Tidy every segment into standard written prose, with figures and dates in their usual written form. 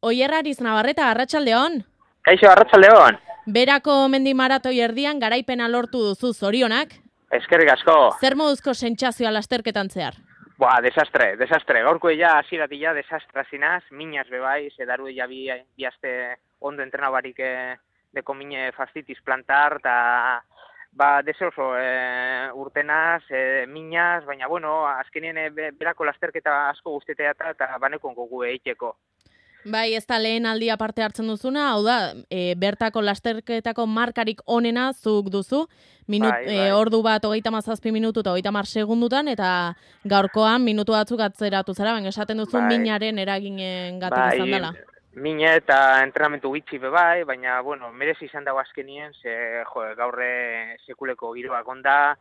Oier Ariz Navarreta, arratsaldeon. Kaixo, arratsaldeon. Berako mendi maratoi erdian garaipena lortu duzu, zorionak. Eskerrik asko. Zer moduzko sentsazioa lasterketan zehar? Desastre. Gaurko ja hasierati desastra zinaz, minaz bebai, zedaru ja bi aste ondo entrena barik deko mine fastitis plantar, eta desoso urtenaz, minaz, baina bueno, azkenien berako lasterketa asko guztetea eta banekon gogu eiteko. Bai, ez da lehen aldia parte hartzen duzuna, hau da, bertako lasterketako markarik onena zuk duzu, ordu bat 37 minutu eta 30 segundutan, eta gaurkoan minutu batzuk atzeratu zara, baina esaten duzu minaren eraginen gatik izan dela. Mine eta entrenamentu gitxi bebai, baina, bueno, merezi izan dago azkenien, gaurre sekuleko giroak onda,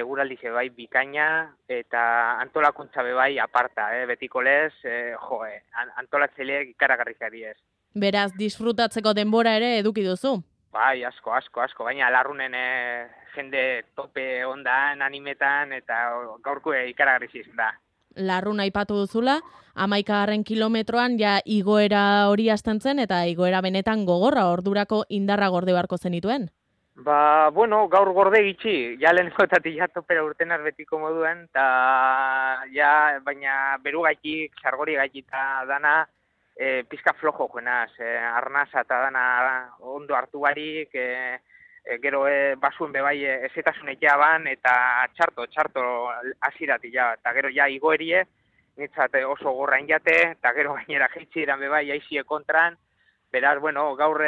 guraldi bai bikaina, eta antolakuntza bebai aparta, betiko lez, antolatzeleek ikaragarrizari ez. Beraz, disfrutatzeko denbora ere eduki duzu? Bai, asko, baina larrunen jende tope ondan, animetan, eta gaurko ikaragarriz izan da. Larrun aipatu duzula, 11. kilometroan ja igoera hori hasten zen, eta igoera benetan gogorra, ordurako indarra gorde beharko zenituen? Bueno, gaur gorde gitxi, ja lehenkotatik ja topera urtenaz betiko moduen, baina beru gaitik, sargori gaitik eta dana, pizka flojo joenaz, arnaza eta dana ondo hartu barik, gero basuen bebai ezetasunek jaban, eta txarto aziratik ja, eta gero ja igoerie, nitzat oso gorrain jate, eta gero gainera jeitzi eran bebai aizie kontran. Beraz, bueno, gaur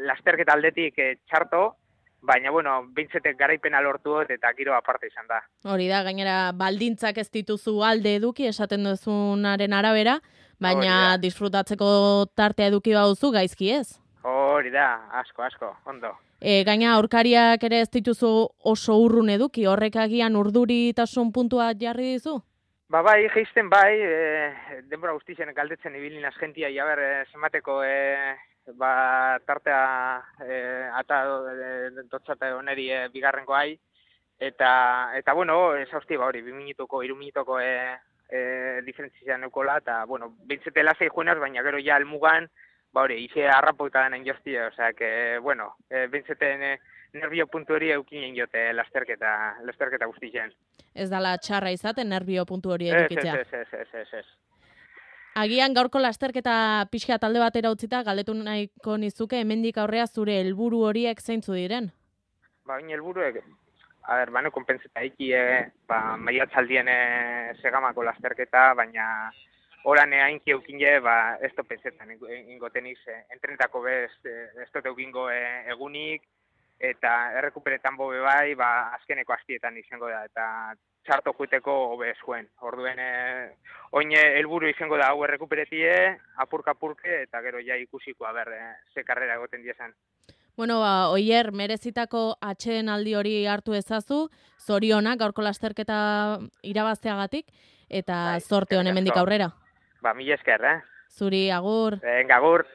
lasterketa aldetik txarto, baina, bueno, bintzetek garaipena lortu eta giro aparte izan da. Hori da, gainera baldintzak ez dituzu alde eduki, esaten duzunaren arabera, baina disfrutatzeko tartea eduki baduzu gaizki ez? Hori da, asko, ondo. Gaina aurkariak ere ez dituzu oso urrun eduki, horrek agian urduritasun puntua jarri dizu? Bai, geisten bai, denbora guztien galdetzen ibilin azgentia, jaber, zenbateko tartea eta dotzate oneri bigarrenko hai, eta bueno, ez hausti hori, 2 minutuko, 3 minutuko diferentzia neukola, eta bueno, bintzete lasei juenaz, baina gero ja almugan, hori, ize harrapoita denen joztia, osea, que, bueno, bintzeten nervio puntu hori eukinen jote lasterketa guztien. Ez dala txarra izaten nervio puntu hori edukitzea. Ez. Agian gaurko lasterketa pixka talde batera utzita, galdetu nahiko nizuke, hemendik aurrea zure helburu horiek zeintzu diren? Baina helburuek, bano konpentseta iki, maiatzaldien segamako lasterketa, baina oran hainki eukine, ez topentzetan ingotenik, entrenetako bez, ez tote eukingo egunik, eta errekuperetan bobe bai, azkeneko astietan izango da, eta txarto juiteko hobe zuen. Orduen, oin helburu izango da hau errekuperetie, apurka-apurke, eta gero ja ikusiko, ze karrera egoten diezan. Bueno, Oier, merezitako atsedenaldi hori hartu ezazu, zorionak gaurko lasterketa irabazteagatik, eta zorte honen hemendik aurrera. Mila esker, Zuri, agur. Agur.